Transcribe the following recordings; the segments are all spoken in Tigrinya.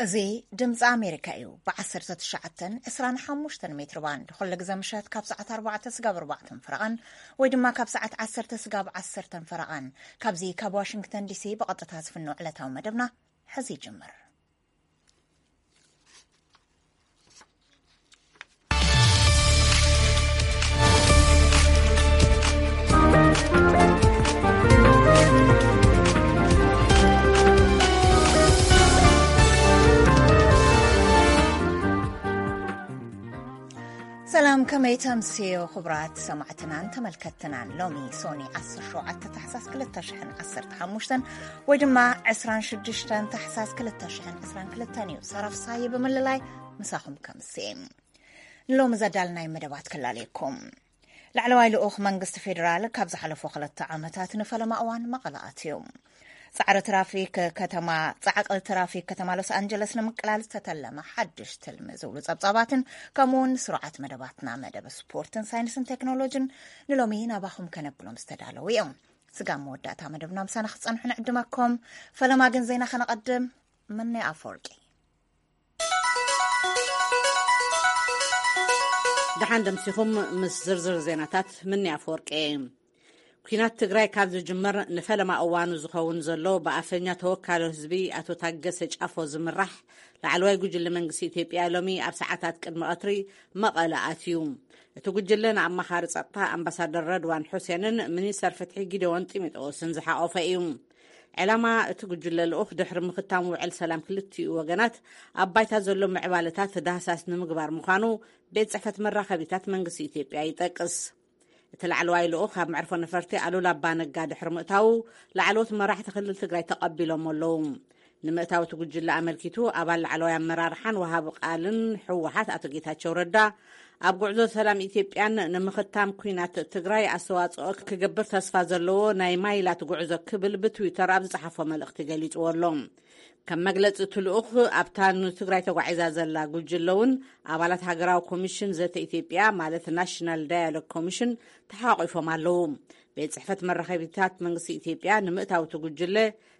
እዚ ድምፂ ኣሜሪካ እዩ። ብ19፣ 25 ሜትር ባንድ ኩሉ ግዜ ምሸት ካብ ሰዓት ኣርባዕተ ስጋብ ኣርባዕተን ፈረቓን ወይ ድማ ካብ ሰዓት ዓሰርተ ስጋብ ዓሰርተን ፈረቓን፣ ካብዚ ካብ ዋሽንግተን ዲሲ ብቐጥታ ዝፍኖ ዕለታዊ መደብና ሕዚ ይጅምር። ሰላም፣ ከመይ ተምስዮ ክቡራት ሰማዕትናን ተመልከትናን? ሎሚ ሶኒ ዓሰርተ ሸውዓተ ታሕሳስ ክልተ ሽሕን ዓሰርተ ሓሙሽተን ወይ ድማ ዕስራን ሽዱሽተን ታሕሳስ ክልተ ሽሕን ዕስራን ክልተን እዩ። ሳራ ፍሳየ ብምልላይ ምሳኹም ከምስየ። ንሎሚ ዘዳልናይ መደባት ክላለየኩም። ላዕለዋይ ልኡኽ መንግስቲ ፌዴራል ካብ ዝሓለፉ ክልተ ዓመታት ንፈለማ እዋን መቐለ ኣትዩ። ጻዕሪ ትራፊክ ከተማ፣ ጻዕቂ ትራፊክ ከተማ ሎስ ኣንጀለስ ንምቅላል ዝተተለመ ሓድሽ ትልሚ ዝብሉ ጸብጻባትን፣ ከምኡውን ስሩዓት መደባትና፣ መደብ ስፖርትን ሳይንስን ቴክኖሎጂን ንሎሚ ናባኹም ከነብሎም ዝተዳለዉ እዮም። ስጋብ መወዳእታ መደብና ምሳና ክትጸንሑ ንዕድመኩም። ፈለማ ግን ዜና ከነቐድም። ምነ ኣፈወርቂ። ደሓን ደምሲኹም። ምስ ዝርዝር ዜናታት ምኒ ኣፈወርቂ። ኲናት ትግራይ ካብ ዝጅመር ንፈለማ እዋኑ ዝኸውን ዘሎ፣ ብኣፈኛ ተወካሊ ህዝቢ ኣቶ ታገሰ ጫፎ ዝምራሕ ላዕለዋይ ጉጅለ መንግስቲ ኢትዮጵያ ሎሚ ኣብ ሰዓታት ቅድሚ ቀትሪ መቐለ ኣትዩ። እቲ ጉጅለ ንኣማኻሪ ጸጥታ ኣምባሳደር ረድዋን ሑሴንን ሚኒስተር ፍትሒ ጊደዎን ጢሞቴዎስን ዝሓቖፈ እዩ። ዕላማ እቲ ጉጅለ ልኡኽ ድሕሪ ምኽታም ውዕል ሰላም ክልቲኡ ወገናት ኣብ ባይታ ዘሎ ምዕባለታት ዳህሳስ ንምግባር ምዃኑ ቤት ጽሕፈት መራኸቢታት መንግስቲ ኢትዮጵያ ይጠቅስ። እቲ ላዕለዋይ ልኡኽ ኣብ መዕርፎ ነፈርቲ ኣሉላ ኣባነጋ ድሕሪ ምእታዉ፣ ላዕለዎት መራሕቲ ክልል ትግራይ ተቐቢሎም ኣለዉ። ንምእታው እቲ ጉጅለ ኣመልኪቱ፣ ኣባል ላዕለዋይ ኣመራርሓን ወሃቢ ቃልን ህወሓት ኣቶ ጌታቸው ረዳ፣ ኣብ ጉዕዞ ሰላም ኢትዮጵያን ንምኽታም ኲናት ትግራይ ኣስተዋጽኦ ክገብር ተስፋ ዘለዎ ናይ ማይላት ጉዕዞ ክብል ብትዊተር ኣብ ዝጸሓፎ መልእኽቲ ገሊጽዎ ኣሎ። ከም መግለጺ እቲ ልኡኽ፣ ኣብታ ንትግራይ ተጓዒዛ ዘላ ጉጅለ እውን ኣባላት ሃገራዊ ኮሚሽን ዘተ ኢትዮጵያ፣ ማለት ናሽናል ዳያሎግ ኮሚሽን፣ ተሓቋቒፎም ኣለዉ። ቤት ጽሕፈት መራኸቢታት መንግስቲ ኢትዮጵያ ንምእታው እቲ ጉጅለ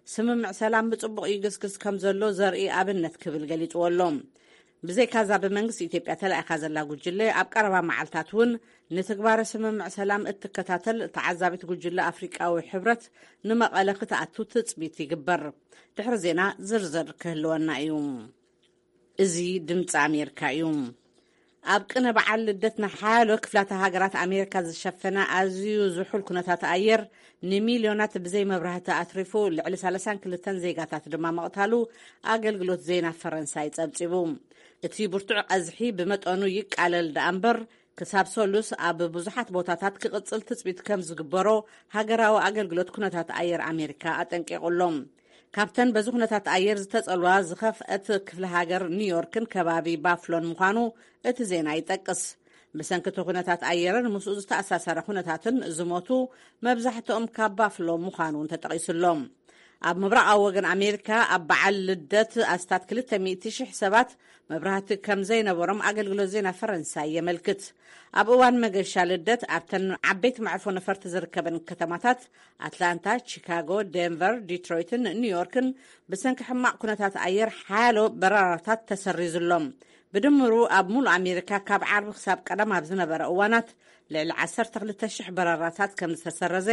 ስምምዕ ሰላም ብጽቡቕ ይግስግስ ከም ዘሎ ዘርኢ ኣብነት ክብል ገሊጽዎ ኣሎ። ብዘይካዛ ብመንግስቲ ኢትዮጵያ ተላኢኻ ዘላ ጉጅለ ኣብ ቀረባ መዓልታት እውን ንትግባረ ስምምዕ ሰላም እትከታተል ተዓዛቢት ጉጅለ ኣፍሪቃዊ ሕብረት ንመቐለ ክትኣቱ ትጽቢት ይግበር። ድሕሪ ዜና ዝርዝር ክህልወና እዩ። እዚ ድምፂ ኣሜሪካ እዩ። ኣብ ቅነ በዓል ልደት ንሓያሎ ክፍላተ ሃገራት ኣሜሪካ ዝሸፈነ ኣዝዩ ዝሑል ኩነታት ኣየር ንሚልዮናት ብዘይ መብራህቲ ኣትሪፉ፣ ልዕሊ ሰላሳን ክልተን ዜጋታት ድማ መቕታሉ ኣገልግሎት ዜና ፈረንሳይ ጸብጺቡ። እቲ ብርቱዕ ቀዝሒ ብመጠኑ ይቃለል ደኣ እምበር፣ ክሳብ ሰሉስ ኣብ ብዙሓት ቦታታት ክቕጽል ትጽቢት ከም ዝግበሮ ሃገራዊ ኣገልግሎት ኩነታት ኣየር ኣሜሪካ ኣጠንቂቑ ኣሎ። ካብተን በዚ ኩነታት ኣየር ዝተጸልዋ ዝኸፍአት ክፍለ ሃገር ኒውዮርክን ከባቢ ባፍሎን ምዃኑ እቲ ዜና ይጠቅስ። ብሰንኪ እቲ ኩነታት ኣየርን ምስኡ ዝተኣሳሰረ ኩነታትን ዝሞቱ መብዛሕትኦም ካብ ባፍሎ ምዃኑ እውን ተጠቒሱ ኣሎ። ኣብ ምብራቓዊ ወገን ኣሜሪካ ኣብ በዓል ልደት ኣስታት ክልተ ሚእቲ ሽሕ ሰባት መብራህቲ ከም ዘይነበሮም ኣገልግሎት ዜና ፈረንሳይ የመልክት። ኣብ እዋን መገሻ ልደት ኣብተን ዓበይቲ መዕርፎ ነፈርቲ ዝርከበን ከተማታት ኣትላንታ፣ ቺካጎ፣ ዴንቨር፣ ዲትሮይትን ኒውዮርክን ብሰንኪ ሕማቕ ኩነታት ኣየር ሓያሎ በረራታት ተሰሪዙሎም። ብድምሩ ኣብ ሙሉእ ኣሜሪካ ካብ ዓርቢ ክሳብ ቀዳም ኣብ ዝነበረ እዋናት ልዕሊ ዓሰርተ ክልተ ሽሕ በረራታት ከም ዝተሰረዘ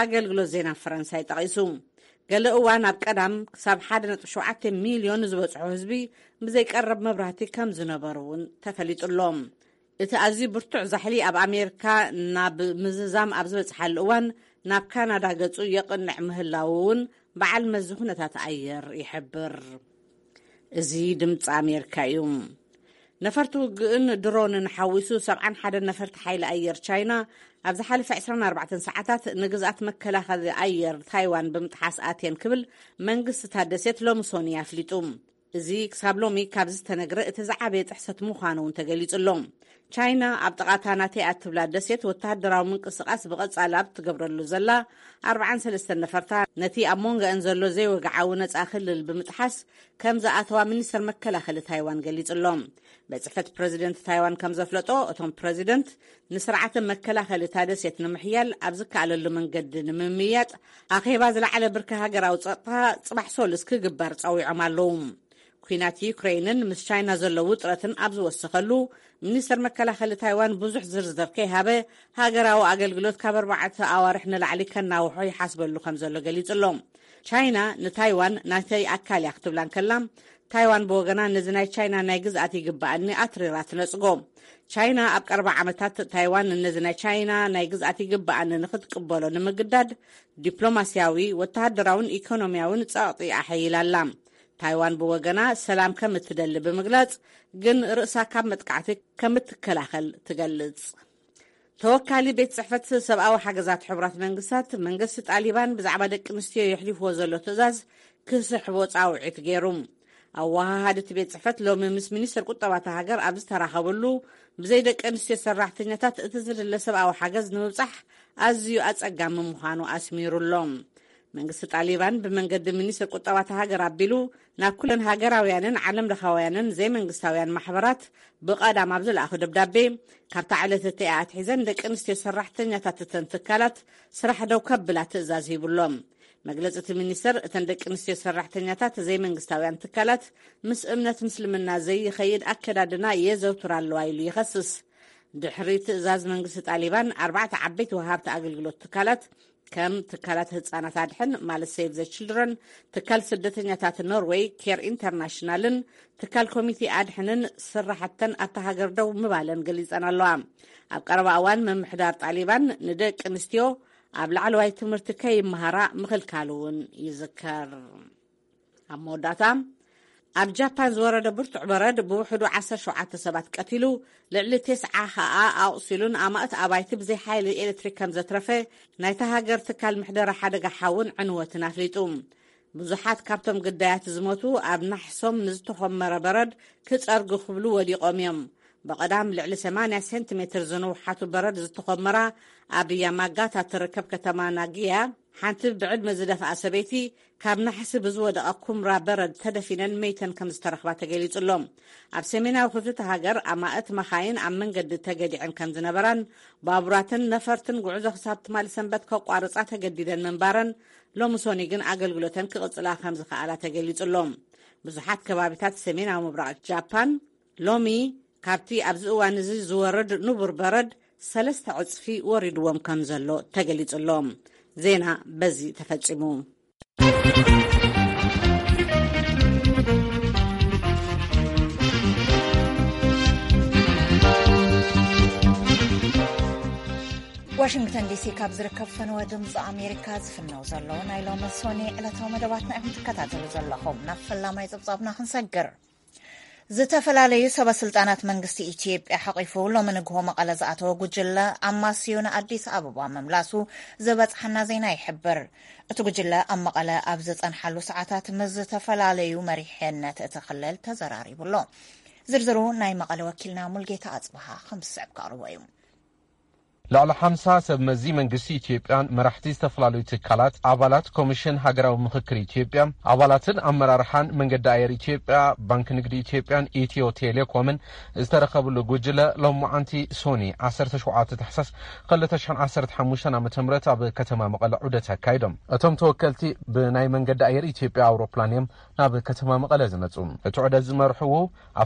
ኣገልግሎት ዜና ፈረንሳይ ጠቒሱ። ገለ እዋን ኣብ ቀዳም ክሳብ ሓደ ነጥቢ ሸውዓተ ሚልዮን ዝበጽሖ ህዝቢ ብዘይቀረብ መብራህቲ ከም ዝነበሩ እውን ተፈሊጡ ኣሎ። እቲ ኣዝዩ ብርቱዕ ዛሕሊ ኣብ ኣሜሪካ ናብ ምዝዛም ኣብ ዝበጽሓሉ እዋን፣ ናብ ካናዳ ገጹ የቕንዕ ምህላዉ እውን በዓል መዚ ኩነታት ኣየር ይሕብር። እዚ ድምፂ ኣሜሪካ እዩ። ነፈርቲ ውግእን ድሮንን ሓዊሱ ሰብዓን ሓደን ነፈርቲ ሓይሊ ኣየር ቻይና ኣብ ዝሓለፈ ዕስራን ኣርባዕተን ሰዓታት ንግዝኣት መከላኸሊ ኣየር ታይዋን ብምጥሓስ ኣትየን ክብል መንግስቲ እታ ደሴት ሎሚ ሶኒ ኣፍሊጡ። እዚ ክሳብ ሎሚ ካብ ዝተነግረ እቲ ዝዓበየ ጥሕሰት ምዃኑ እውን ተገሊጹ ኣሎ። ቻይና ኣብ ጥቓታ ናተይ እያ እትብላ ደሴት ወተሃደራዊ ምንቅስቓስ ብቐጻሊ ኣብ እትገብረሉ ዘላ ኣርባዓን ሰለስተን ነፈርታ፣ ነቲ ኣብ መንጎአን ዘሎ ዘይወግዓዊ ነጻ ክልል ብምጥሓስ ከም ዝኣተዋ ሚኒስተር መከላኸሊ ታይዋን ገሊጹ ኣሎ። ቤት ጽሕፈት ፕረዚደንት ታይዋን ከም ዘፍለጦ፣ እቶም ፕረዚደንት ንስርዓተ መከላኸሊ እታ ደሴት ንምሕያል ኣብ ዝከኣለሉ መንገዲ ንምምይያጥ ኣኼባ ዝለዓለ ብርኪ ሃገራዊ ጸጥታ ጽባሕ ሰሉስ ክግበር ጸዊዖም ኣለዉ። ኲናት ዩክሬይንን ምስ ቻይና ዘሎ ውጥረትን ኣብ ዝወሰኸሉ፣ ሚኒስተር መከላኸሊ ታይዋን ብዙሕ ዝርዝር ከይሃበ፣ ሃገራዊ ኣገልግሎት ካብ ኣርባዕተ ኣዋርሕ ንላዕሊ ከናውሖ ይሓስበሉ ከም ዘሎ ገሊጹ ኣሎ። ቻይና ንታይዋን ናተይ ኣካል እያ ክትብላ እንከላ፣ ታይዋን ብወገና ነዚ ናይ ቻይና ናይ ግዝኣት ይግባኣኒ ኣትሪራ ትነጽጎ። ቻይና ኣብ ቀረባ ዓመታት ታይዋን ነዚ ናይ ቻይና ናይ ግዝኣት ይግባኣኒ ንኽትቅበሎ ንምግዳድ ዲፕሎማስያዊ፣ ወተሃደራውን ኢኮኖሚያውን ጸቕጢ ኣሐይላ ኣላ። ታይዋን ብወገና ሰላም ከም እትደሊ ብምግላጽ፣ ግን ርእሳ ካብ መጥቃዕቲ ከም እትከላኸል ትገልጽ። ተወካሊ ቤት ጽሕፈት ሰብኣዊ ሓገዛት ሕቡራት መንግስታት፣ መንግስቲ ጣሊባን ብዛዕባ ደቂ ኣንስትዮ የሕሊፍዎ ዘሎ ትእዛዝ ክስሕቦ ጻውዒት ገይሩ። ኣወሃሃዲ እቲ ቤት ጽሕፈት ሎሚ ምስ ሚኒስትር ቁጠባ እታ ሃገር ኣብ ዝተራኸበሉ፣ ብዘይ ደቂ ኣንስትዮ ሰራሕተኛታት እቲ ዝድለ ሰብኣዊ ሓገዝ ንምብጻሕ ኣዝዩ ኣጸጋሚ ምዃኑ ኣስሚሩ ኣሎ። መንግስቲ ጣሊባን ብመንገዲ ሚኒስትር ቁጠባ እታ ሃገር ኣቢሉ ናብ ኩለን ሃገራውያንን ዓለም ለኻውያንን ዘይመንግስታውያን ማሕበራት ብቐዳም ኣብ ዝለኣኾ ደብዳቤ፣ ካብታ ዕለት እቲኣ ኣትሒዘን ደቂ ኣንስትዮ ሰራሕተኛታት እተን ትካላት ስራሕ ደው ከብላ ትእዛዝ ሂቡሎም። መግለጺ እቲ ሚኒስተር፣ እተን ደቂ ኣንስትዮ ሰራሕተኛታት ዘይመንግስታውያን ትካላት ምስ እምነት ምስልምና ዘይኸይድ ኣከዳድና የዘውትራ ኣለዋ ኢሉ ይኸስስ። ድሕሪ ትእዛዝ መንግስቲ ጣሊባን፣ ኣርባዕተ ዓበይቲ ወሃብቲ ኣገልግሎት ትካላት፣ ከም ትካላት ህጻናት ኣድሕን ማለት ሴቭ ዘ ችልድረን፣ ትካል ስደተኛታት ኖርዌይ ኬር ኢንተርናሽናልን ትካል ኮሚቴ ኣድሕንን ስራሕተን ኣብታ ሃገር ደው ምባለን ገሊጸን ኣለዋ። ኣብ ቀረባ እዋን ምምሕዳር ጣሊባን ንደቂ ኣንስትዮ ኣብ ላዕለዋይ ትምህርቲ ከይመሃራ ምኽልካሉ እውን ይዝከር። ኣብ መወዳእታ፣ ኣብ ጃፓን ዝወረደ ብርቱዕ በረድ ብውሕዱ ዓሰርተ ሸውዓተ ሰባት ቀቲሉ፣ ልዕሊ ተስዓ ኸኣ ኣቑሲሉን ኣማእት ኣባይቲ ብዘይ ሓይሊ ኤሌክትሪክ ከም ዘትረፈ ናይታ ሃገር ትካል ምሕደራ ሓደጋ ሓውን ዕንወትን ኣፍሊጡ። ብዙሓት ካብቶም ግዳያት ዝሞቱ ኣብ ናሕሶም ንዝተኾመረ በረድ ክጸርጉ ክብሉ ወዲቖም እዮም። ብቐዳም ልዕሊ ሰማንያ ሴንቲሜትር ዝንውሓቱ በረድ ዝተኾመራ ኣብ ያማጋታ ትርከብ ከተማ ናጊያ፣ ሓንቲ ብዕድመ ዝደፍኣ ሰበይቲ ካብ ናሕሲ ብዝወደቐ ኩምራ በረድ ተደፊነን መይተን ከም ዝተረኽባ ተገሊጹ ኣሎ። ኣብ ሰሜናዊ ክፍሊ እታ ሃገር ኣማእት መኻይን ኣብ መንገዲ ተገዲዐን ከም ዝነበራን ባቡራትን ነፈርትን ጉዕዞ ክሳብ ትማሊ ሰንበት ከቋርጻ ተገዲደን ምንባረን፣ ሎሚ ሶኒ ግን ኣገልግሎተን ክቕጽላ ከም ዝኸኣላ ተገሊጹ ኣሎ። ብዙሓት ከባቢታት ሰሜናዊ ምብራቕ ጃፓን ሎሚ ካብቲ ኣብዚ እዋን እዚ ዝወርድ ንቡር በረድ ሰለስተ ዕጽፊ ወሪድዎም ከም ዘሎ ተገሊጹ ኣሎ። ዜና በዚ ተፈጺሙ። ዋሽንግተን ዲሲ ካብ ዝርከብ ፈነወ ድምፂ ኣሜሪካ ዝፍነው ዘሎ ናይ ሎሚ ሶኒ ዕለታዊ መደባትና ኢኹም ትከታተሉ ዘለኹም። ናብ ፈላማይ ጸብጻብና ክንሰግር። ዝተፈላለዩ ሰበ ስልጣናት መንግስቲ ኢትዮጵያ ሓቂፉ ሎሚ ንግሆ መቐለ ዝኣተወ ጉጅለ ኣማስዩ ንኣዲስ ኣበባ ምምላሱ ዝበጽሓና ዜና ይሕብር። እቲ ጉጅለ ኣብ መቐለ ኣብ ዝጸንሓሉ ሰዓታት ምስ ዝተፈላለዩ መሪሕነት እቲ ክልል ተዘራሪቡ ኣሎ። ዝርዝሩ ናይ መቐለ ወኪልና ሙልጌታ ኣጽብሃ ከም ዝስዕብ ከቕርቦ እዩ። ልዕሊ ሓምሳ ሰብ መዚ መንግስቲ ኢትዮጵያን መራሕቲ ዝተፈላለዩ ትካላት፣ ኣባላት ኮሚሽን ሃገራዊ ምኽክር ኢትዮጵያ፣ ኣባላትን ኣመራርሓን መንገዲ ኣየር ኢትዮጵያ፣ ባንክ ንግዲ ኢትዮጵያን ኢትዮ ቴሌኮምን ዝተረኸብሉ ጉጅለ ሎማዓንቲ ሶኒ ዓሰርተ ሸውዓተ ታሕሳስ ክልተ ሽሕን ዓሰርተ ሓሙሽተን ዓመተ ምህረት ኣብ ከተማ መቐለ ዑደት ኣካይዶም። እቶም ተወከልቲ ብናይ መንገዲ ኣየር ኢትዮጵያ ኣውሮፕላን እዮም ናብ ከተማ መቐለ ዝመጹ። እቲ ዑደት ዝመርሕዎ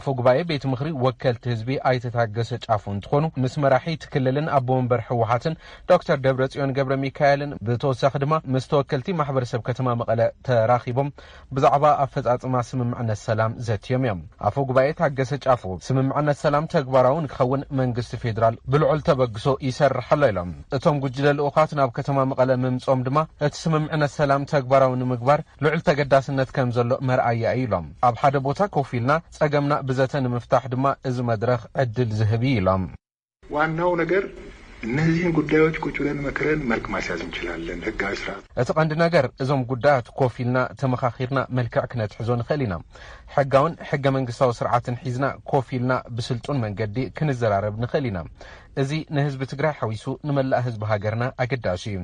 ኣፈ ጉባኤ ቤት ምኽሪ ወከልቲ ህዝቢ ኣይተ ታገሰ ጫፎ እንትኾኑ፣ ምስ መራሒ እቲ ክልልን ኣቦ ወንበር ህወሓትን ዶክተር ደብረጽዮን ገብረ ሚካኤልን፣ ብተወሳኺ ድማ ምስ ተወከልቲ ማሕበረሰብ ከተማ መቐለ ተራኺቦም ብዛዕባ ኣፈጻጽማ ስምምዕነት ሰላም ዘትዮም እዮም። ኣፈ ጉባኤ ታገሰ ጫፎ፣ ስምምዕነት ሰላም ተግባራዊ ንክኸውን መንግስቲ ፌዴራል ብልዑል ተበግሶ ይሰርሕ ኣሎ ኢሎም። እቶም ጉጅለ ልኡኻት ናብ ከተማ መቐለ ምምጾም ድማ እቲ ስምምዕነት ሰላም ተግባራዊ ንምግባር ልዑል ተገዳስነት ከም ዘሎ መርኣያ እዩ ኢሎም። ኣብ ሓደ ቦታ ኮፍ ኢልና ጸገምና ብዘተ ንምፍታሕ ድማ እዚ መድረኽ ዕድል ዝህብ እዩ ኢሎም። ዋናው ነገር እነዚህን ጉዳዮች ቁጭ ብለን መክረን መልክ ማስያዝ እንችላለን። ህጋዊ ስርዓት። እቲ ቀንዲ ነገር እዞም ጉዳያት ኮፍ ኢልና ተመኻኺርና መልክዕ ክነትሕዞ ንኽእል ኢና። ሕጋውን ሕገ መንግስታዊ ስርዓትን ሒዝና ኮፍ ኢልና ብስልጡን መንገዲ ክንዘራረብ ንኽእል ኢና። እዚ ንህዝቢ ትግራይ ሓዊሱ ንመላእ ህዝቢ ሃገርና ኣገዳሲ እዩ።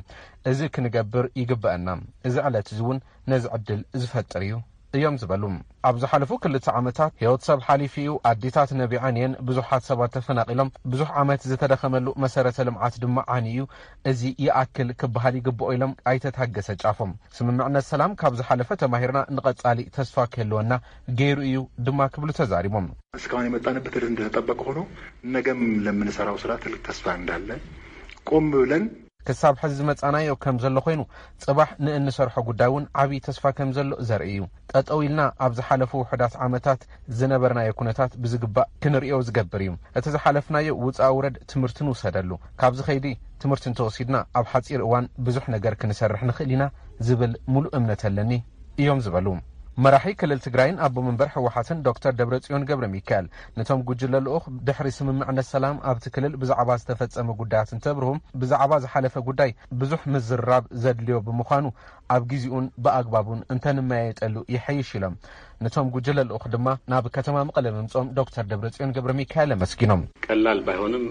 እዚ ክንገብር ይግበአና። እዚ ዕለት እዚ እውን ነዚ ዕድል ዝፈጥር እዩ እዮም ዝበሉ። ኣብ ዝሓለፉ ክልተ ዓመታት ህይወት ሰብ ሓሊፉ እዩ፣ ኣዴታት ነቢዐን እየን፣ ብዙሓት ሰባት ተፈናቒሎም፣ ብዙሕ ዓመት ዝተደኸመሉ መሰረተ ልምዓት ድማ ዓንዩ እዩ። እዚ ይኣክል ክበሃል ይግብኦ ኢሎም ኣይተ ታገሰ ጫፎ። ስምምዕነት ሰላም ካብ ዝሓለፈ ተማሂርና ንቐጻሊ ተስፋ ክህልወና ገይሩ እዩ ድማ ክብሉ ተዛሪቦም። እስካሁን የመጣንበት ሂደት እንደተጠበቀ ሆኖ ነገም ለምንሰራው ስራ ትልቅ ተስፋ እንዳለ ቆም ብለን ክሳብ ሕዚ ዝመጻናዮ ከም ዘሎ ኮይኑ፣ ጽባሕ ንእንሰርሖ ጉዳይ እውን ዓብዪ ተስፋ ከም ዘሎ ዘርኢ እዩ። ጠጠው ኢልና ኣብ ዝሓለፉ ውሑዳት ዓመታት ዝነበርናዮ ኩነታት ብዝግባእ ክንርእዮ ዝገብር እዩ። እቲ ዝሓለፍናዮ ውጻእ ውረድ ትምህርቲ ንውሰደሉ። ካብዚ ከይዲ ትምህርቲ እንተወሲድና፣ ኣብ ሓጺር እዋን ብዙሕ ነገር ክንሰርሕ ንኽእል ኢና ዝብል ሙሉእ እምነት ኣለኒ እዮም ዝበሉ። መራሒ ክልል ትግራይን ኣቦ መንበር ህወሓትን ዶክተር ደብረጽዮን ገብረ ሚካኤል፣ ነቶም ጉጅለ ልኡኽ ድሕሪ ስምምዕነት ሰላም ኣብቲ ክልል ብዛዕባ ዝተፈጸመ ጉዳያት እንተብርሁ፣ ብዛዕባ ዝሓለፈ ጉዳይ ብዙሕ ምዝርራብ ዘድልዮ ብምዃኑ፣ ኣብ ግዜኡን ብኣግባቡን እንተንመያየጠሉ ይሐይሽ ኢሎም። ነቶም ጉጅለ ልኡኽ ድማ ናብ ከተማ መቐለ ምምጾም ዶክተር ደብረጽዮን ገብረ ሚካኤል ኣመስጊኖም። ቀላል ባይሆንም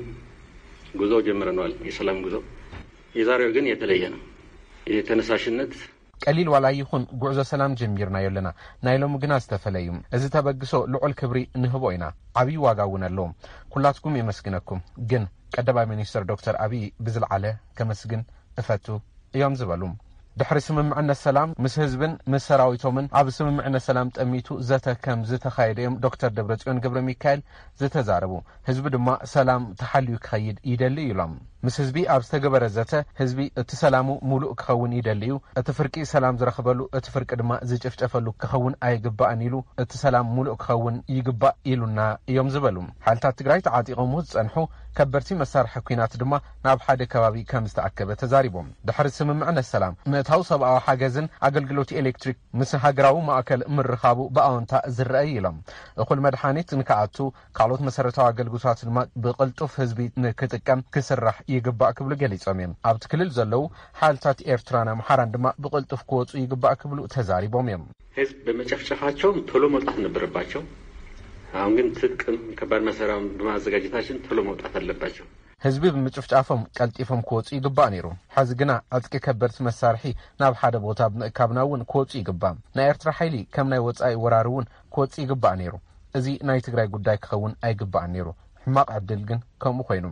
ጉዞ ጀምረነዋል፣ የሰላም ጉዞ። የዛሬው ግን የተለየ ነው። የተነሳሽነት ቀሊል ዋላ ይኹን ጉዕዞ ሰላም ጀሚርናዮ ኣለና። ናይ ሎሚ ግና ዝተፈለዩ። እዚ ተበግሶ ልዑል ክብሪ ንህቦ ኢና። ዓብዪ ዋጋ እውን ኣለዎ። ኩላትኩም የመስግነኩም። ግን ቀዳማይ ሚኒስትር ዶክተር ኣብይ ብዝለዓለ ከመስግን እፈቱ እዮም ዝበሉ። ድሕሪ ስምምዕነት ሰላም ምስ ህዝብን ምስ ሰራዊቶምን ኣብ ስምምዕነት ሰላም ጠሚቱ ዘተ ከም ዝተኻየደ እዮም ዶክተር ደብረጽዮን ገብረ ሚካኤል ዝተዛረቡ። ህዝቢ ድማ ሰላም ተሓልዩ ክኸይድ ይደሊ ኢሎም። ምስ ህዝቢ ኣብ ዝተገበረ ዘተ ህዝቢ እቲ ሰላሙ ሙሉእ ክኸውን ይደሊ እዩ። እቲ ፍርቂ ሰላም ዝረኽበሉ እቲ ፍርቂ ድማ ዝጭፍጨፈሉ ክኸውን ኣይግባእን ኢሉ እቲ ሰላም ሙሉእ ክኸውን ይግባእ ኢሉና እዮም ዝበሉ። ሓይልታት ትግራይ ተዓጢቖምዎ ዝጸንሑ ከበድቲ መሳርሒ ኲናት ድማ ናብ ሓደ ከባቢ ከም ዝተኣከበ ተዛሪቦም። ድሕሪ ስምምዕነት ሰላም ምእታው ሰብኣዊ ሓገዝን ኣገልግሎት ኤሌክትሪክ ምስ ሃገራዊ ማእከል ምርኻቡ ብኣወንታ ዝረአ እዩ ኢሎም። እኹል መድሓኒት ንክኣቱ ካልኦት መሰረታዊ ኣገልግሎታት ድማ ብቕልጡፍ ህዝቢ ንክጥቀም ክስራሕ ይግባእ ክብሉ ገሊጾም እዮም። ኣብቲ ክልል ዘለዉ ሓይልታት ኤርትራን ኣምሓራን ድማ ብቕልጡፍ ክወፁ ይግባእ ክብሉ ተዛሪቦም እዮም። ህዝብ በመጨፍጨፋቸውም ቶሎ መውጣት ነበረባቸው። አሁን ግን ትጥቅም ከባድ መሳሪያም በማዘጋጀታችን ቶሎ መውጣት አለባቸው። ህዝቢ ብምጭፍጫፎም ቀልጢፎም ክወፁ ይግባእ ነይሩ። ሕዚ ግና ዕጥቂ ከበድቲ መሳርሒ ናብ ሓደ ቦታ ብምእካብና እውን ክወፁ ይግባእ። ናይ ኤርትራ ሓይሊ ከም ናይ ወፃኢ ወራሪ እውን ክወፅእ ይግባእ ነይሩ። እዚ ናይ ትግራይ ጉዳይ ክኸውን ኣይግባእን ነይሩ። ሕማቕ ዕድል ግን ከምኡ ኮይኑ።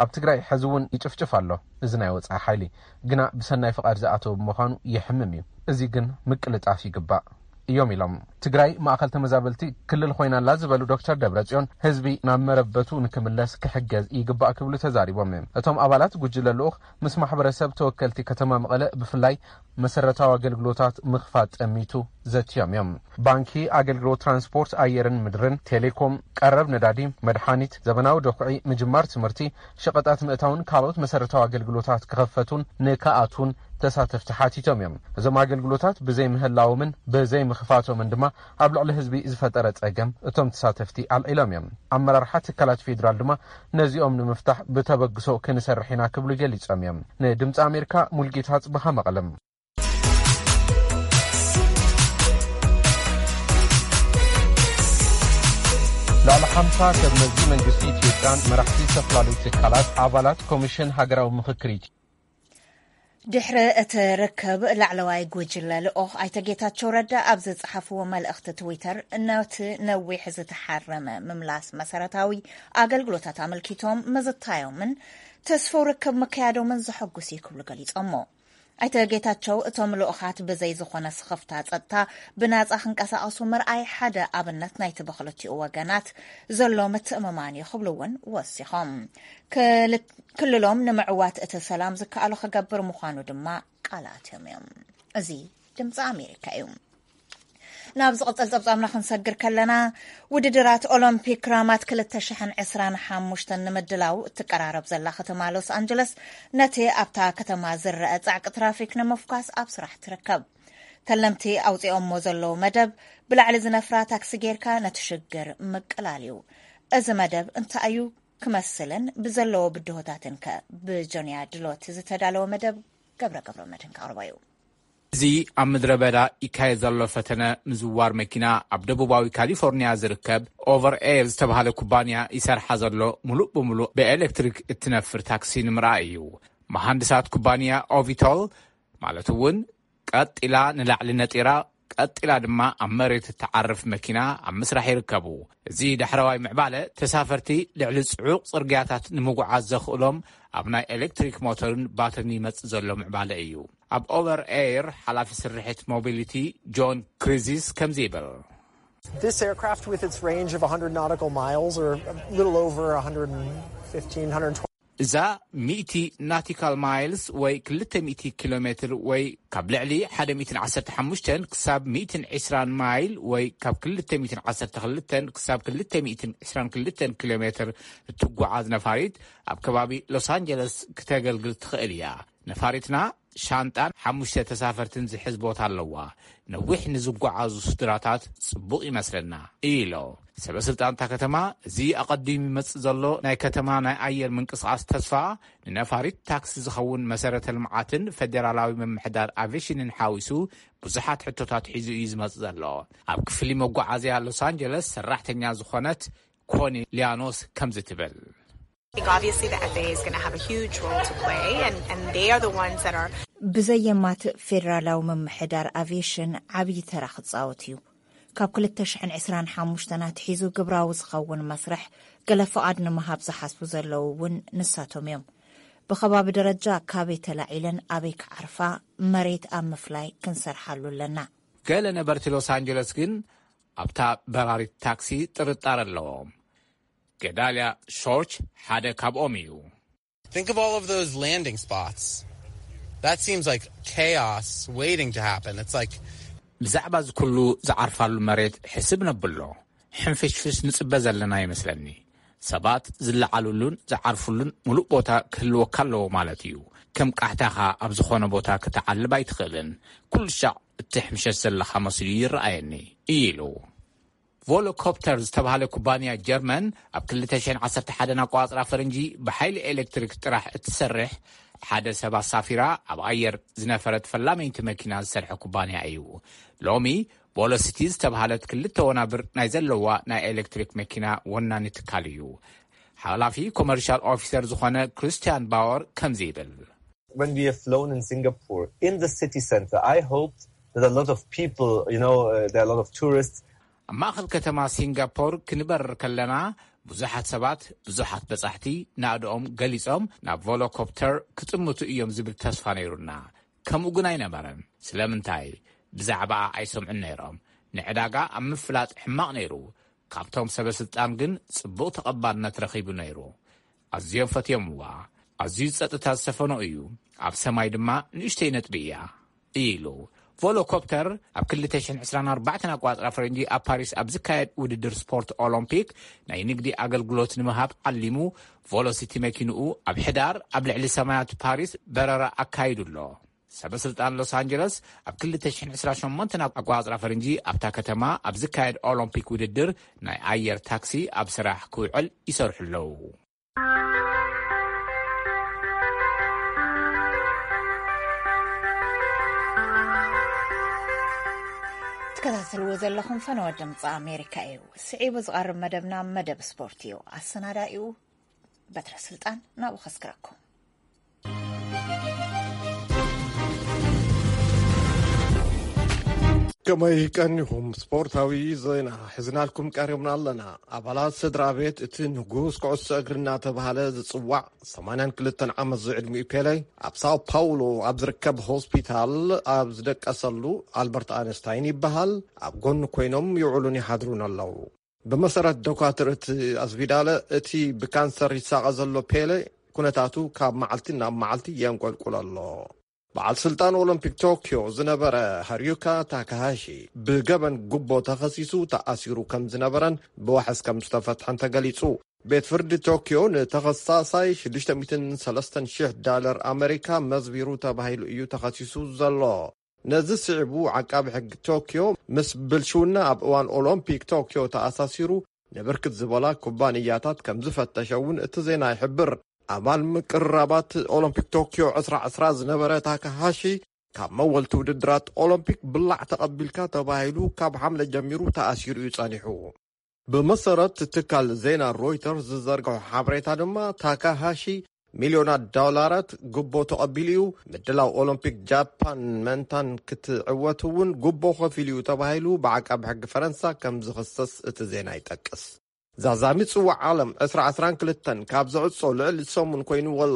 ኣብ ትግራይ ሕዚ እውን ይጭፍጭፍ ኣሎ። እዚ ናይ ወፃኢ ሓይሊ ግና ብሰናይ ፍቓድ ዝኣተወ ብምዃኑ የሕምም እዩ። እዚ ግን ምቅልጣፍ ይግባእ እዮም ኢሎም። ትግራይ ማእኸል ተመዛበልቲ ክልል ኮይና ኣላ ዝበሉ ዶክተር ደብረፅዮን፣ ህዝቢ ናብ መረበቱ ንክምለስ ክሕገዝ ይግባእ ክብሉ ተዛሪቦም እዮም። እቶም ኣባላት ጉጅለ ልኡኽ ምስ ማሕበረሰብ ተወከልቲ ከተማ መቐለ ብፍላይ መሰረታዊ ኣገልግሎታት ምኽፋት ጠሚቱ ዘትዮም እዮም። ባንኪ፣ ኣገልግሎት ትራንስፖርት ኣየርን ምድርን፣ ቴሌኮም፣ ቀረብ ነዳዲ፣ መድሓኒት፣ ዘበናዊ ደኹዒ፣ ምጅማር ትምህርቲ፣ ሸቐጣት ምእታውን ካልኦት መሰረታዊ ኣገልግሎታት ክኸፈቱን ንክኣቱን ተሳተፍቲ ሓቲቶም እዮም። እዞም ኣገልግሎታት ብዘይምህላዎምን ብዘይምኽፋቶምን ድማ ኣብ ልዕሊ ህዝቢ ዝፈጠረ ጸገም እቶም ተሳተፍቲ ኣልዒሎም እዮም። ኣመራርሓ ትካላት ፌዴራል ድማ ነዚኦም ንምፍታሕ ብተበግሶ ክንሰርሕ ኢና ክብሉ ገሊጾም እዮም። ንድምፂ ኣሜሪካ ሙልጌታ ጽብሃ መቐለም። ልዕሊ ሓምሳ ሰብ መዚ መንግስቲ ኢትዮጵያን መራሕቲ ዝተፈላለዩ ትካላት ኣባላት ኮሚሽን ሃገራዊ ምኽክር ኢትዮ- ድሕሪ እቲ ርክብ ላዕለዋይ ጉጅለ ልኡኽ ኣይተ ጌታቸው ረዳ ኣብ ዝጸሓፍዎ መልእኽቲ ትዊተር፣ ነቲ ነዊሕ ዝተሓረመ ምምላስ መሰረታዊ ኣገልግሎታት ኣመልኪቶም ምዝታዮምን ተስፍው ርክብ ምክያዶምን ዘሐጉስ እዩ ክብሉ ገሊጾሞ። ኣይተ ጌታቸው እቶም ልኡኻት ብዘይ ዝኾነ ስኽፍታ ጸጥታ ብናጻ ክንቀሳቐሱ ምርኣይ ሓደ ኣብነት ናይቲ ብክልቲኡ ወገናት ዘሎ ምትእምማን እዩ ክብሉ እውን ወሲኾም። ክልሎም ንምዕዋት እቲ ሰላም ዝከኣሎ ክገብር ምዃኑ ድማ ቃል ኣትዮም እዮም። እዚ ድምፂ ኣሜሪካ እዩ። ናብ ዝቕፅል ፀብፃብና ክንሰግር ከለና፣ ውድድራት ኦሎምፒክ ራማት ክልተ ሽሕን ዕስራን ሓሙሽተን ንምድላው እትቀራረብ ዘላ ከተማ ሎስ ኣንጀለስ፣ ነቲ ኣብታ ከተማ ዝረአ ፃዕቂ ትራፊክ ንምፍኳስ ኣብ ስራሕ ትርከብ። ተለምቲ ኣውፂኦሞ ዘለዉ መደብ፣ ብላዕሊ ዝነፍራ ታክሲ ጌርካ ነቲ ሽግር ምቅላል እዩ። እዚ መደብ እንታይ እዩ ክመስልን ብዘለዎ ብድሆታትን ከ? ብጆንያ ድሎት ዝተዳለወ መደብ ገብረ ገብረ መድህን ከቕርቦ እዩ። እዚ ኣብ ምድረ በዳ ይካየድ ዘሎ ፈተነ ምዝዋር መኪና ኣብ ደቡባዊ ካሊፎርኒያ ዝርከብ ኦቨር ኤር ዝተባህለ ኩባንያ ይሰርሓ ዘሎ ሙሉእ ብሙሉእ ብኤሌክትሪክ እትነፍር ታክሲ ንምርኣይ እዩ። መሃንድሳት ኩባንያ ኦቪቶል፣ ማለት እውን ቀጥ ኢላ ንላዕሊ ነጢራ ቀጢላ ድማ ኣብ መሬት እትዓርፍ መኪና ኣብ ምስራሕ ይርከቡ። እዚ ዳሕረዋይ ምዕባለ፣ ተሳፈርቲ ልዕሊ ጽዑቕ ጽርግያታት ንምጉዓዝ ዘኽእሎም፣ ኣብ ናይ ኤሌክትሪክ ሞተርን ባትሪን ይመጽእ ዘሎ ምዕባለ እዩ። ኣብ ኦቨር ኤር ሓላፊ ስርሒት ሞቢሊቲ ጆን ክሪዚስ ከምዚ ይብል። This aircraft, with its range of one hundred nautical miles, or a little over one hundred fifteen, one hundred twenty, እዛ ሚእቲ ናቲካል ማይልስ ወይ ክልተ ሚእቲ ኪሎ ሜትር ወይ ካብ ልዕሊ ሓደ ሚእትን ዓሰርተ ሓሙሽተን ክሳብ ሚእትን ዕስራን ማይል ወይ ካብ ክልተ ሚእትን ዓሰርተ ክልተን ክሳብ ክልተ ሚእትን ዕስራን ክልተን ኪሎ ሜትር እትጓዓዝ ነፋሪት ኣብ ከባቢ ሎስ ኣንጀለስ ክተገልግል ትኽእል እያ። ነፋሪትና ሻንጣን ሓሙሽተ ተሳፈርትን ዝሕዝ ቦታ ኣለዋ። ነዊሕ ንዝጓዓዙ ስድራታት ጽቡቕ ይመስለና፣ ኢሎ። ሰበ ስልጣን እታ ከተማ፣ እዚ ኣቐዲሙ ይመጽእ ዘሎ ናይ ከተማ ናይ ኣየር ምንቅስቓስ ተስፋ፣ ንነፋሪት ታክሲ ዝኸውን መሰረተ ልምዓትን ፈደራላዊ ምምሕዳር ኣቪሽንን ሓዊሱ ብዙሓት ሕቶታት ሒዙ እዩ ዝመጽእ ዘሎ። ኣብ ክፍሊ መጓዓዝያ ሎስ ኣንጀለስ ሰራሕተኛ ዝኾነት ኮኒ ሊያኖስ ከምዚ ትብል። I think obviously the F A A is going to have a huge role to play, and, and they are the ones that are ብዘየማት ፌደራላዊ ምምሕዳር ኣቪዬሽን ዓብዪ ተራ ክጻወት እዩ። ካብ ክልተ ሽሕን ዕስራን ሓሙሽተን ኣትሒዙ ግብራዊ ዝኸውን መስርሕ ገለ ፍቓድ ንምሃብ ዝሓስቡ ዘለዉ እውን ንሳቶም እዮም። ብኸባቢ ደረጃ ካበይ ተላዒለን ኣበይ ክዓርፋ መሬት ኣብ ምፍላይ ክንሰርሓሉ ኣለና። ገለ ነበርቲ ሎስ ኣንጀለስ ግን ኣብታ በራሪት ታክሲ ጥርጣረ ኣለዎም። ገዳልያ ሾርች ሓደ ካብኦም እዩ። Think of all of those landing spots. That seems like chaos waiting to happen. It's like ብዛዕባ እዚ ኩሉ ዝዓርፋሉ መሬት ሕስብ ነብሎ። ሕንፍሽፍሽ ንጽበ ዘለና ይመስለኒ። ሰባት ዝለዓሉሉን ዝዓርፉሉን ሙሉእ ቦታ ክህልወካ ኣለዎ ማለት እዩ። ከም ቃሕታኻ ኣብ ዝኾነ ቦታ ክትዓልብ ኣይትኽእልን። ኩሉ ሻዕ እትሕምሸሽ ዘለኻ መሲሉ ይረኣየኒ፣ ኢሉ። ቮሎኮፕተር ዝተባህለ ኩባንያ ጀርመን፣ ኣብ ክልተ ሽሕን ዓሰርተ ሓደን ኣቋጽራ ፈረንጂ ብሓይሊ ኤሌክትሪክ ጥራሕ እትሰርሕ ሓደ ሰብ ኣሳፊራ ኣብ ኣየር ዝነፈረት ፈላመይቲ መኪና ዝሰርሐ ኩባንያ እዩ። ሎሚ ቮሎሲቲ ዝተባህለት ክልተ ወናብር ናይ ዘለዋ ናይ ኤሌክትሪክ መኪና ወናኒ ትካል እዩ። ሓላፊ ኮመርሻል ኦፊሰር ዝኾነ ክርስቲያን ባወር ከምዚ ይብል። When we have flown in Singapore, in the city center, I hoped that a lot of people, you know, uh, there are a lot of tourists. ኣብ ማእኸል ከተማ ሲንጋፖር ክንበርር ከለና፣ ብዙሓት ሰባት፣ ብዙሓት በጻሕቲ ናእድኦም ገሊጾም ናብ ቮሎኮፕተር ክጥምቱ እዮም ዝብል ተስፋ ነይሩና። ከምኡ ግን ኣይነበረን። ስለምንታይ? ብዛዕባኣ ኣይሰምዑን ነይሮም። ንዕዳጋ ኣብ ምፍላጥ ሕማቕ ነይሩ። ካብቶም ሰበ ስልጣን ግን ጽቡቕ ተቐባልነት ረኺቡ ነይሩ። ኣዝዮም ፈትዮምዋ። ኣዝዩ ጸጥታ ዝሰፈኖ እዩ። ኣብ ሰማይ ድማ ንእሽተይ ነጥቢ እያ፣ ኢሉ። ቮሎኮፕተር ኣብ ክልተ ሽሕን ዕስራን ኣርባዕተን ኣቋጽራ ፈረንጂ ኣብ ፓሪስ ኣብ ዝካየድ ውድድር ስፖርት ኦሎምፒክ ናይ ንግዲ ኣገልግሎት ንምሃብ ዓሊሙ፣ ቮሎሲቲ መኪንኡ ኣብ ሕዳር ኣብ ልዕሊ ሰማያት ፓሪስ በረራ ኣካይዱ ኣሎ። ሰበ ስልጣን ሎስ ኣንጀለስ ኣብ ክልተ ሽሕን ዕስራን ሸሞንተን ኣቋጽራ ፈረንጂ ኣብታ ከተማ ኣብ ዝካየድ ኦሎምፒክ ውድድር ናይ ኣየር ታክሲ ኣብ ስራሕ ክውዕል ይሰርሑ ኣለዉ። ትከታተልዎ ዘለኹም ፈነወ ድምፂ ኣሜሪካ እዩ። ስዒቡ ዝቐርብ መደብና መደብ ስፖርት እዩ። ኣሰናዳኢኡ በትረ ስልጣን ናብኡ ከስክረኩም። ከመይ ቀኒኹም? ስፖርታዊ ዜና ሒዝናልኩም ቀሪብና ኣለና። ኣባላት ስድራ ቤት እቲ ንጉስ ኩዕሶ እግሪ እናተባህለ ዝጽዋዕ ሰማንያን ክልተን ዓመት ዝዕድሚኡ ፔሌ፣ ኣብ ሳኦ ፓውሎ ኣብ ዝርከብ ሆስፒታል ኣብ ዝደቀሰሉ፣ ኣልበርት ኣንስታይን ይበሃል፣ ኣብ ጎኒ ኮይኖም ይውዕሉን ይሓድሩን ኣለዉ። ብመሰረት ዶካትር እቲ ኣስቪዳለ፣ እቲ ብካንሰር ይሳቐ ዘሎ ፔሌ፣ ኩነታቱ ካብ መዓልቲ ናብ መዓልቲ የንቆልቁል ኣሎ። በዓል ስልጣን ኦሎምፒክ ቶክዮ ዝነበረ ሃርዩካ ታካሃሺ፣ ብገበን ጉቦ ተኸሲሱ ተኣሲሩ ከም ዝነበረን ብዋሕስ ከም ዝተፈትሐን ተገሊጹ። ቤት ፍርዲ ቶክዮ ንተኸሳሳይ ሽዱሽተ ሚእትን ሰለስተን ሽሕ ዳለር ኣመሪካ መዝቢሩ ተባሂሉ እዩ ተኸሲሱ ዘሎ። ነዚ ስዒቡ፣ ዓቃቢ ሕጊ ቶክዮ ምስ ብልሽውና ኣብ እዋን ኦሎምፒክ ቶክዮ ተኣሳሲሩ ንብርክት ዝበላ ኩባንያታት ከም ዝፈተሸ እውን እቲ ዜና ይሕብር። ኣባል ምቅርራባት ኦሎምፒክ ቶክዮ ዕስራ ዕስራ ዝነበረ ታካሃሺ፣ ካብ መወልቲ ውድድራት ኦሎምፒክ ብላዕ ተቐቢልካ ተባሂሉ ካብ ሓምለ ጀሚሩ ተኣሲሩ እዩ ጸኒሑ። ብመሰረት ትካል ዜና ሮይተርስ ዝዘርግሖ ሓበሬታ ድማ፣ ታካሃሺ ሚልዮናት ዶላራት ጉቦ ተቐቢሉ እዩ። ምድላው ኦሎምፒክ ጃፓን መንታን ክትዕወት እውን ጉቦ ከፊሉ እዩ ተባሂሉ ብዓቃቢ ሕጊ ፈረንሳ ከም ዝኽሰስ እቲ ዜና ይጠቅስ። ዛዛሚ ጽዋዕ ዓለም ዕስራ ዕስራን ክልተን ካብ ዝዕጾ ልዕሊ ሰሙን ኮይኑ ኣሎ።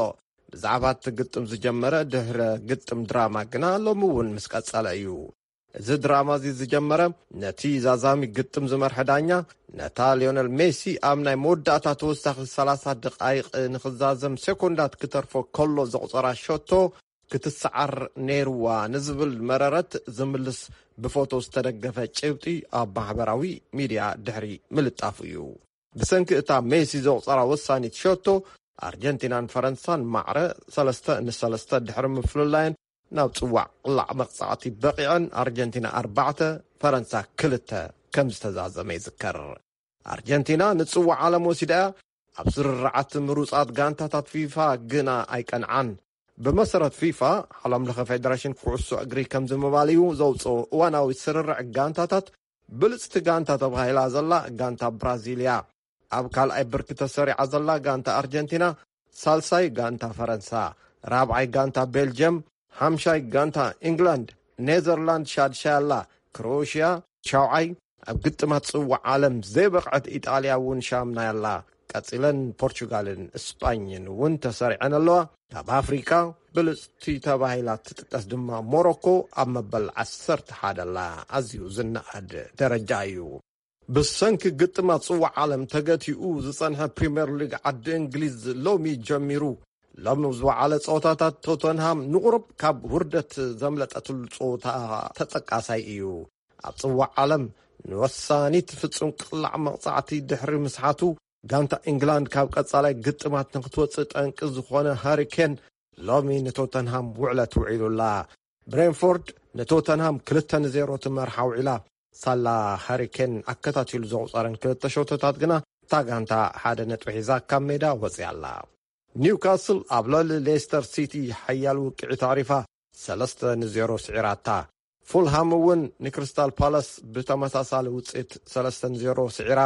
ብዛዕባ እቲ ግጥም ዝጀመረ ድሕረ ግጥም ድራማ ግና ሎሚ እውን ምስ ቀጸለ እዩ። እዚ ድራማ እዚ ዝጀመረ ነቲ ዛዛሚ ግጥም ዝመርሐ ዳኛ ነታ ሊዮነል ሜሲ ኣብ ናይ መወዳእታ ተወሳኺ ሰላሳ ደቓይቕ ንኽዛዘም ሴኮንዳት ክተርፎ ከሎ ዘቑጸራ ሸቶ ክትሰዓር ነይርዋ ንዝብል መረረት ዝምልስ ብፎቶ ዝተደገፈ ጭብጢ ኣብ ማሕበራዊ ሚድያ ድሕሪ ምልጣፉ እዩ። ብሰንኪ እታ ሜሲ ዘቑጸራ ወሳኒት ሸቶ ኣርጀንቲናን ፈረንሳን ማዕረ ሰለስተ ንሰለስተ ድሕሪ ምፍልላየን ናብ ጽዋዕ ቅላዕ መቕጻዕቲ በቒዐን ኣርጀንቲና ኣርባዕተ ፈረንሳ ክልተ ከም ዝተዛዘመ ይዝከር። ኣርጀንቲና ንጽዋዕ ዓለም ወሲዳ እያ። ኣብ ስርርዓት ምሩጻት ጋንታታት ፊፋ ግና ኣይቀንዓን። ብመሰረት ፊፋ ዓለም ለኸ ፌደሬሽን ኩዕሶ እግሪ ከምዚ ምባል እዩ ዘውፅኦ። እዋናዊ ስርርዕ ጋንታታት ብልፅቲ ጋንታ ተባሂላ ዘላ ጋንታ ብራዚል እያ። ኣብ ካልኣይ ብርኪ ተሰሪዓ ዘላ ጋንታ ኣርጀንቲና፣ ሳልሳይ ጋንታ ፈረንሳ፣ ራብዓይ ጋንታ ቤልጅየም፣ ሓምሻይ ጋንታ ኢንግላንድ፣ ኔዘርላንድ ሻድሻይ ኣላ፣ ክሮኤሽያ ሻውዓይ፣ ኣብ ግጥማት ጽዋዕ ዓለም ዘይበቕዐት ኢጣልያ እውን ሻምናይ ኣላ። ቀጺለን ፖርቹጋልን እስጳኝን እውን ተሰሪዐን ኣለዋ። ካብ ኣፍሪካ ብልጽቲ ተባሂላ ትጥቀስ ድማ ሞሮኮ ኣብ መበል ዓሰርተ ሓደ ኣላ። ኣዝዩ ዝነኣድ ደረጃ እዩ። ብሰንኪ ግጥማት ጽዋዕ ዓለም ተገቲኡ ዝጸንሐ ፕሪምየር ሊግ ዓዲ እንግሊዝ ሎሚ ጀሚሩ። ሎሚ ዝወዓለ ጸወታታት ቶተንሃም ንቑሩብ ካብ ውርደት ዘምለጠትሉ ጸወታ ተጠቃሳይ እዩ። ኣብ ጽዋዕ ዓለም ንወሳኒት ፍጹም ቅላዕ መቕጻዕቲ ድሕሪ ምስሓቱ፣ ጋንታ ኢንግላንድ ካብ ቀጻላይ ግጥማት ንክትወጽእ ጠንቂ ዝኾነ ሃሪ ኬን ሎሚ ንቶተንሃም ውዕለት ውዒሉላ። ብሬንፎርድ ንቶተንሃም ክልተ ንዜሮ ትመርሓ ውዒላ። ሳላ ሃሪ ኬን ኣከታቲሉ ዘቑጸረን ክልተ ሸቶታት ግና እታ ጋንታ ሓደ ነጥቢ ሒዛ ካብ ሜዳ ወጺኣ ኣላ። ኒውካስል ኣብ ልዕሊ ሌስተር ሲቲ ሓያል ውቅዒት ኣዕሪፋ ሰለስተ ንዜሮ ስዒራታ። ፉልሃም እውን ንክሪስታል ፓላስ ብተመሳሳሊ ውፅኢት ሰለስተ ንዜሮ ስዒራ።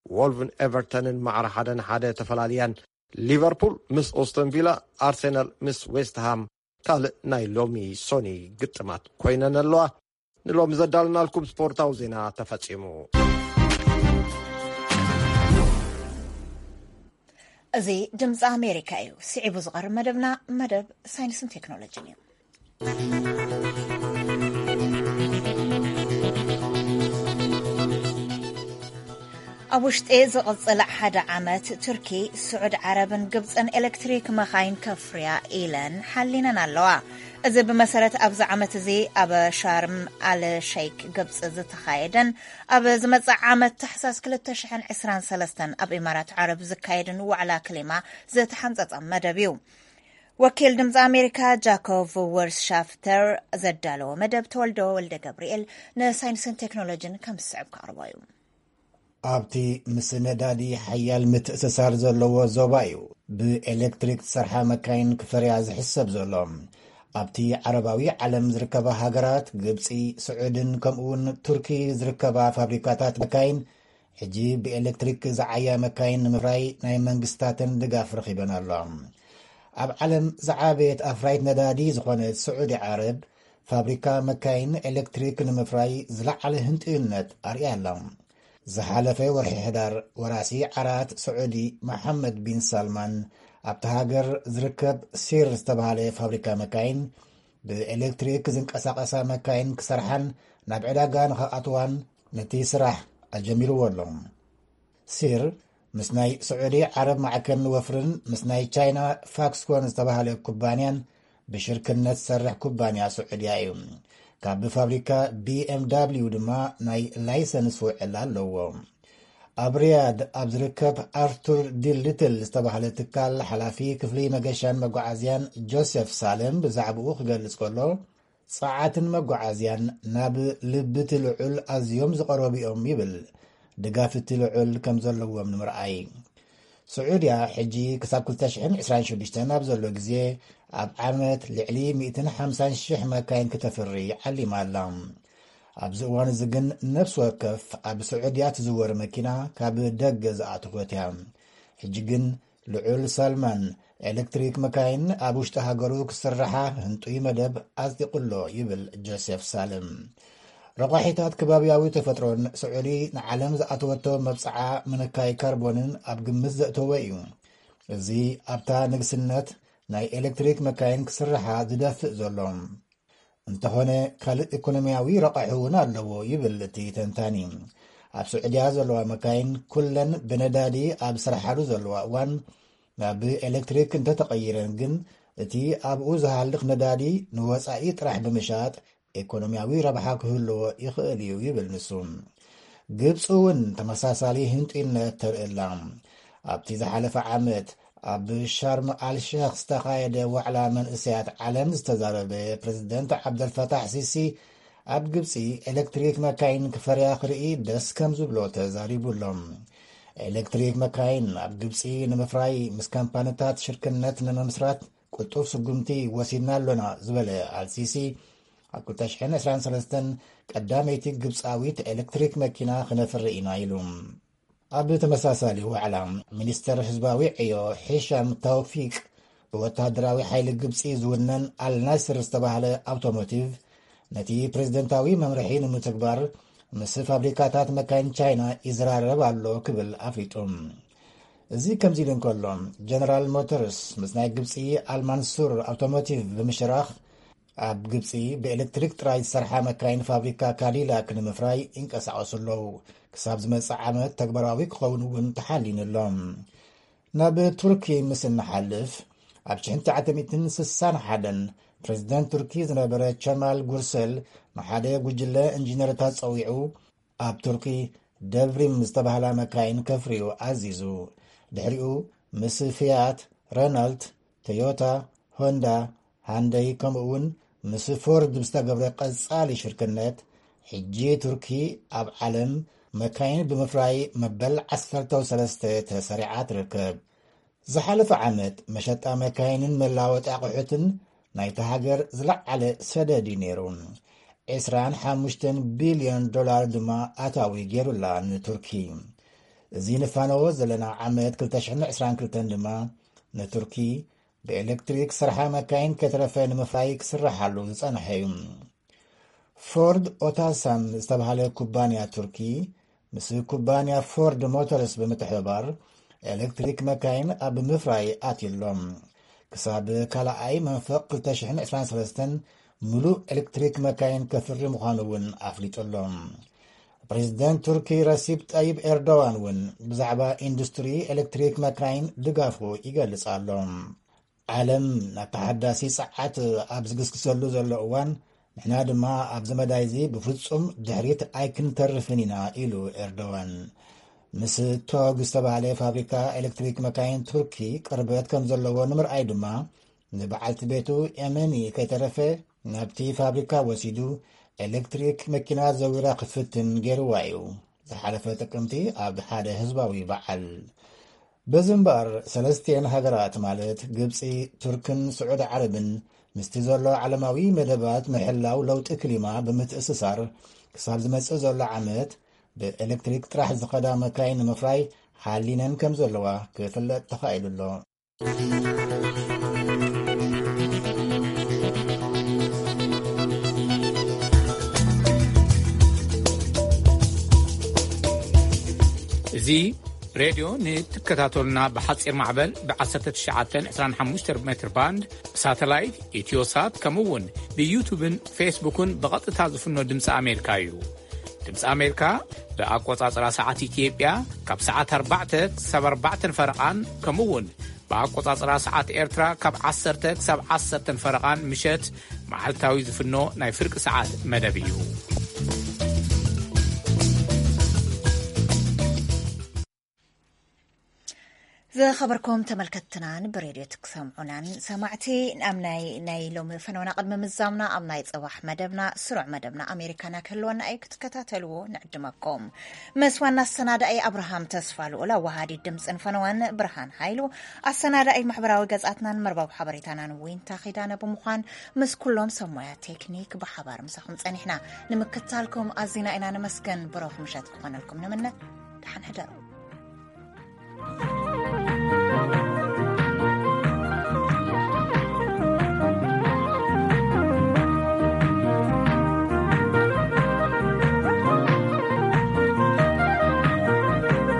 ዎልቭን ኤቨርተንን ማዕረ ሓደ ንሓደ ተፈላልያን። ሊቨርፑል ምስ ኦስተን ቪላ፣ ኣርሴናል ምስ ዌስትሃም ካልእ ናይ ሎሚ ሶኒ ግጥማት ኮይነን ኣለዋ። ንሎሚ ዘዳልናልኩም ስፖርታዊ ዜና ተፈጺሙ። እዚ ድምፂ ኣሜሪካ እዩ። ስዒቡ ዝቐርብ መደብና መደብ ሳይንስን ቴክኖሎጂን እዩ። ኣብ ውሽጢ ዝቕጽል ሓደ ዓመት ቱርኪ፣ ስዑድ ዓረብን ግብጽን ኤሌክትሪክ መኻይን ከፍርያ ኢለን ሓሊነን ኣለዋ። እዚ ብመሰረት ኣብዚ ዓመት እዚ ኣብ ሻርም ኣል ሸይክ ግብጽ ዝተኻየደን ኣብ ዝመጽእ ዓመት ታሕሳስ ክልተ ሽሕን ዕስራን ሰለስተን ኣብ ኢማራት ዓረብ ዝካየድን ዋዕላ ክሊማ ዝተሓንጸጸ መደብ እዩ። ወኪል ድምፂ ኣሜሪካ ጃኮቭ ወርስሻፍተር ዘዳለዎ መደብ ተወልዶ ወልደ ገብርኤል ንሳይንስን ቴክኖሎጂን ከም ዝስዕብ ከቕርቦ እዩ። ኣብቲ ምስ ነዳዲ ሓያል ምትእስሳር ዘለዎ ዞባ እዩ ብኤሌክትሪክ ዝሰርሓ መካይን ክፈርያ ዝሕሰብ ዘሎ። ኣብቲ ዓረባዊ ዓለም ዝርከባ ሃገራት ግብፂ፣ ስዑድን ከምኡውን ቱርኪ ዝርከባ ፋብሪካታት መካይን ሕጂ ብኤሌክትሪክ ዝዓያ መካይን ንምፍራይ ናይ መንግስታተን ድጋፍ ረኺበን ኣለዋ። ኣብ ዓለም ዝዓበየት ኣፍራይት ነዳዲ ዝኾነት ስዑዲ ዓረብ፣ ፋብሪካ መካይን ኤሌክትሪክ ንምፍራይ ዝለዓለ ህንጥዩነት ኣርእያ ኣላ። ዝሓለፈ ወርሒ ሕዳር፣ ወራሲ ዓራት ስዑዲ መሓመድ ቢን ሳልማን ኣብቲ ሃገር ዝርከብ ሲር ዝተባህለ ፋብሪካ መካይን፣ ብኤሌክትሪክ ዝንቀሳቐሳ መካይን ክሰርሓን ናብ ዕዳጋ ንኸኣትዋን ነቲ ስራሕ ኣጀሚርዎ ኣሎ። ሲር ምስ ናይ ስዑዲ ዓረብ ማዕከን ወፍርን ምስ ናይ ቻይና ፋክስኮን ዝተባህለ ኩባንያን ብሽርክነት ዝሰርሕ ኩባንያ ስዑድያ እዩ። ካብ ፋብሪካ ቢ ኤም ዳብሊው ድማ ናይ ላይሰንስ ውዕል ኣለዎ። ኣብ ሪያድ ኣብ ዝርከብ ኣርቱር ዲ ሊትል ዝተባህለ ትካል ሓላፊ ክፍሊ መገሻን መጓዓዝያን ጆሴፍ ሳልም ብዛዕባኡ ክገልጽ ከሎ፣ ጸዓትን መጓዓዝያን ናብ ልቢ እቲ ልዑል ኣዝዮም ዝቐረቡ እዮም ይብል። ድጋፍ እቲ ልዑል ከም ዘለዎም ንምርኣይ። ስዑድያ ሕጂ ክሳብ ክልተ ሽሕን ዕስራን ሽዱሽተን ኣብ ዘሎ ግዜ ኣብ ዓመት ልዕሊ ሚእትን ሓምሳን ሽሕ መካይን ክተፍሪ ዓሊማ ኣላ። ኣብዚ እዋን እዚ ግን ነፍሲ ወከፍ ኣብ ስዑድያ ትዝወር መኪና ካብ ደገ ዝኣተወት እያ። ሕጂ ግን ልዑል ሳልማን ኤሌክትሪክ መካይን ኣብ ውሽጢ ሃገሩ ክስርሓ ህንጡይ መደብ ኣጽዲቑ ኣሎ ይብል ጆሴፍ ሳልም። ረቋሒታት ከባብያዊ ተፈጥሮን ስዑዲ ንዓለም ዝኣተወቶ መብጽዓ ምንካይ ካርቦንን ኣብ ግምት ዘእተወ እዩ። እዚ ኣብታ ንግስነት ናይ ኤሌክትሪክ መካይን ክስርሓ ዝደፍእ ዘሎ። እንተኾነ ካልእ ኢኮኖሚያዊ ረቋሒ እውን ኣለዎ ይብል እቲ ተንታኒ። ኣብ ስዑድያ ዘለዋ መካይን ኩለን ብነዳዲ ኣብ ስርሓሉ ዘለዋ እዋን ናብ ኤሌክትሪክ እንተተቐይረን ግን እቲ ኣብኡ ዝሃልኽ ነዳዲ ንወጻኢ ጥራሕ ብምሻጥ ኢኮኖሚያዊ ረብሓ ክህልዎ ይኽእል እዩ ይብል ንሱ። ግብፂ እውን ተመሳሳሊ ህንጡይነት ተርእላ። ኣብቲ ዝሓለፈ ዓመት ኣብ ሻርም ኣልሸክ ዝተኻየደ ዋዕላ መንእሰያት ዓለም ዝተዛረበ ፕሬዝደንት ዓብደልፈታሕ ሲሲ ኣብ ግብፂ ኤሌክትሪክ መካይን ክፈርያ ክርኢ ደስ ከም ዝብሎ ተዛሪቡ ኣሎ። ኤሌክትሪክ መካይን ኣብ ግብፂ ንምፍራይ ምስ ካምፓኒታት ሽርክነት ንምምስራት ቅልጡፍ ስጉምቲ ወሲድና ኣሎና ዝበለ ኣልሲሲ፣ ኣብ ክልተ ሽሕን ዕስራን ሰለስተን ቀዳመይቲ ግብፃዊት ኤሌክትሪክ መኪና ክነፍሪ ኢና ኢሉ። ኣብ ተመሳሳሊ ዋዕላ፣ ሚኒስተር ህዝባዊ ዕዮ ሂሻም ተውፊቅ ብወታደራዊ ሓይሊ ግብፂ ዝውነን ኣልናስር ዝተባህለ ኣውቶሞቲቭ ነቲ ፕሬዝደንታዊ መምርሒ ንምትግባር ምስ ፋብሪካታት መካይን ቻይና ይዘራረብ ኣሎ ክብል ኣፍሊጡ። እዚ ከምዚ ኢሉ እንከሎ፣ ጀነራል ሞተርስ ምስ ናይ ግብፂ ኣልማንሱር ኣውቶሞቲቭ ብምሽራኽ ኣብ ግብፂ ብኤሌክትሪክ ጥራይ ዝሰርሓ መካይን ፋብሪካ ካዲላክ ንምፍራይ ይንቀሳቐሱ ኣለዉ። ክሳብ ዝመጽእ ዓመት ተግባራዊ ክኸውን እውን ተሓሊኑ ኣሎ። ናብ ቱርኪ ምስ እንሓልፍ፣ ኣብ ሽሕን ትሽዓተ ሚእትን ስሳን ሓደን ፕሬዝደንት ቱርኪ ዝነበረ ቸማል ጉርሰል ንሓደ ጉጅለ ኢንጂነርታት ጸዊዑ ኣብ ቱርኪ ደብሪም ዝተባህላ መካይን ከፍርዩ ኣዚዙ። ድሕሪኡ ምስ ፊያት፣ ረናልት፣ ቶዮታ፣ ሆንዳ፣ ሃንደይ ከምኡ እውን ምስ ፎርድ ብዝተገብረ ቀጻሊ ሽርክነት ሕጂ ቱርኪ ኣብ ዓለም መካይን ብምፍራይ መበል ዓሰርተ ሰለስተ ተሰሪዓ ትርከብ። ዝሓለፈ ዓመት መሸጣ መካይንን መላወጢ ኣቑሑትን ናይታ ሃገር ዝለዓለ ሰደድ እዩ ነይሩ። ዕስራን ሓሙሽተን ቢልዮን ዶላር ድማ ኣታዊ ገይሩላ ንቱርኪ። እዚ ንፋነዎ ዘለና ዓመት ክልተ ሽሕን ዕስራን ክልተን ድማ ንቱርኪ ብኤሌክትሪክ ስርሓ መካይን ከይተረፈ ንምፍራይ ክስርሓሉ ዝጸንሐ እዩ። ፎርድ ኦታሳን ዝተባህለ ኩባንያ ቱርኪ ምስ ኩባንያ ፎርድ ሞተርስ ብምትሕብባር ኤሌክትሪክ መካይን ኣብ ምፍራይ ኣትዩ ኣሎ። ክሳብ ካልኣይ መንፈቕ ክልተ ሽሕን ዕስራን ሰለስተን ምሉእ ኤሌክትሪክ መካይን ከፍሪ ምዃኑ እውን ኣፍሊጡ ኣሎ። ፕሬዝደንት ቱርኪ ረሲፕ ጠይብ ኤርዶዋን እውን ብዛዕባ ኢንዱስትሪ ኤሌክትሪክ መካይን ድጋፉ ይገልጽ ኣሎ። ዓለም ናብ ተሓዳሲ ጸዓት ኣብ ዝግስግሰሉ ዘሎ እዋን፣ ንሕና ድማ ኣብዚ መዳይ እዚ ብፍጹም ድሕሪት ኣይክንተርፍን ኢና ኢሉ ኤርዶዋን። ምስ ቶግ ዝተባህለ ፋብሪካ ኤሌክትሪክ መካይን ቱርኪ ቅርበት ከም ዘለዎ ንምርኣይ ድማ ንበዓልቲ ቤቱ ኤመኒ ከይተረፈ ናብቲ ፋብሪካ ወሲዱ ኤሌክትሪክ መኪና ዘዊራ ክፍትን ገይርዋ እዩ። ዝሓለፈ ጥቅምቲ ኣብ ሓደ ህዝባዊ በዓል። በዚ እምበኣር ሰለስቲኤን ሃገራት ማለት ግብፂ፣ ቱርክን ስዑዲ ዓረብን ምስቲ ዘሎ ዓለማዊ መደባት ምሕላው ለውጢ ክሊማ ብምትእስሳር ክሳብ ዝመፅእ ዘሎ ዓመት ብኤሌክትሪክ ጥራሕ ዝኸዳ መካይን ንምፍራይ ሓሊነን ከም ዘለዋ ክፍለጥ ተኻኢሉ ኣሎ። እዚ ሬድዮ ንትከታተሉና ብሓፂር ማዕበል ብ19925 ሜትር ባንድ ብሳተላይት ኢትዮሳት ከምኡ እውን ብዩቱብን ፌስቡክን ብቐጥታ ዝፍኖ ድምፂ ኣሜሪካ እዩ። ድምፂ ኣሜሪካ ብኣቆፃፅራ ሰዓት ኢትዮጵያ ካብ ሰዓት ኣርባዕተ ክሳብ ኣርባዕተ ፈረቓን ከምኡ እውን ብኣቆፃፅራ ሰዓት ኤርትራ ካብ ዓሰርተ ክሳብ ዓሰርተ ፈረቓን ምሸት መዓልታዊ ዝፍኖ ናይ ፍርቂ ሰዓት መደብ እዩ። ዝኸበርኩም ተመልከትትናን ብሬድዮ ትሰምዑናን ሰማዕቲ፣ ኣብ ናይ ናይ ሎሚ ፈነወና ቅድሚ ምዛምና ኣብ ናይ ጽባሕ መደብና ስሩዕ መደብና ኣሜሪካና ክህልወና እዩ፣ ክትከታተልዎ ንዕድመኩም። ምስ ዋና ኣሰናዳኢ ኣብርሃም ተስፋ ልኡል፣ ኣዋሃዲ ድምፅን ፈነዋን ብርሃን ሃይሉ፣ ኣሰናዳኢ ማሕበራዊ ገጻትናን መርበብ ሓበሬታናን ዊንታ ኺዳነ ብምዃን ምስ ኩሎም ሰብ ሞያ ቴክኒክ ብሓባር ምሳኹም ጸኒሕና። ንምክትታልኩም ኣዚና ኢና ንመስገን። ብሩኽ ምሸት ክኾነልኩም ንምነ። ደሓን ሕደሩ።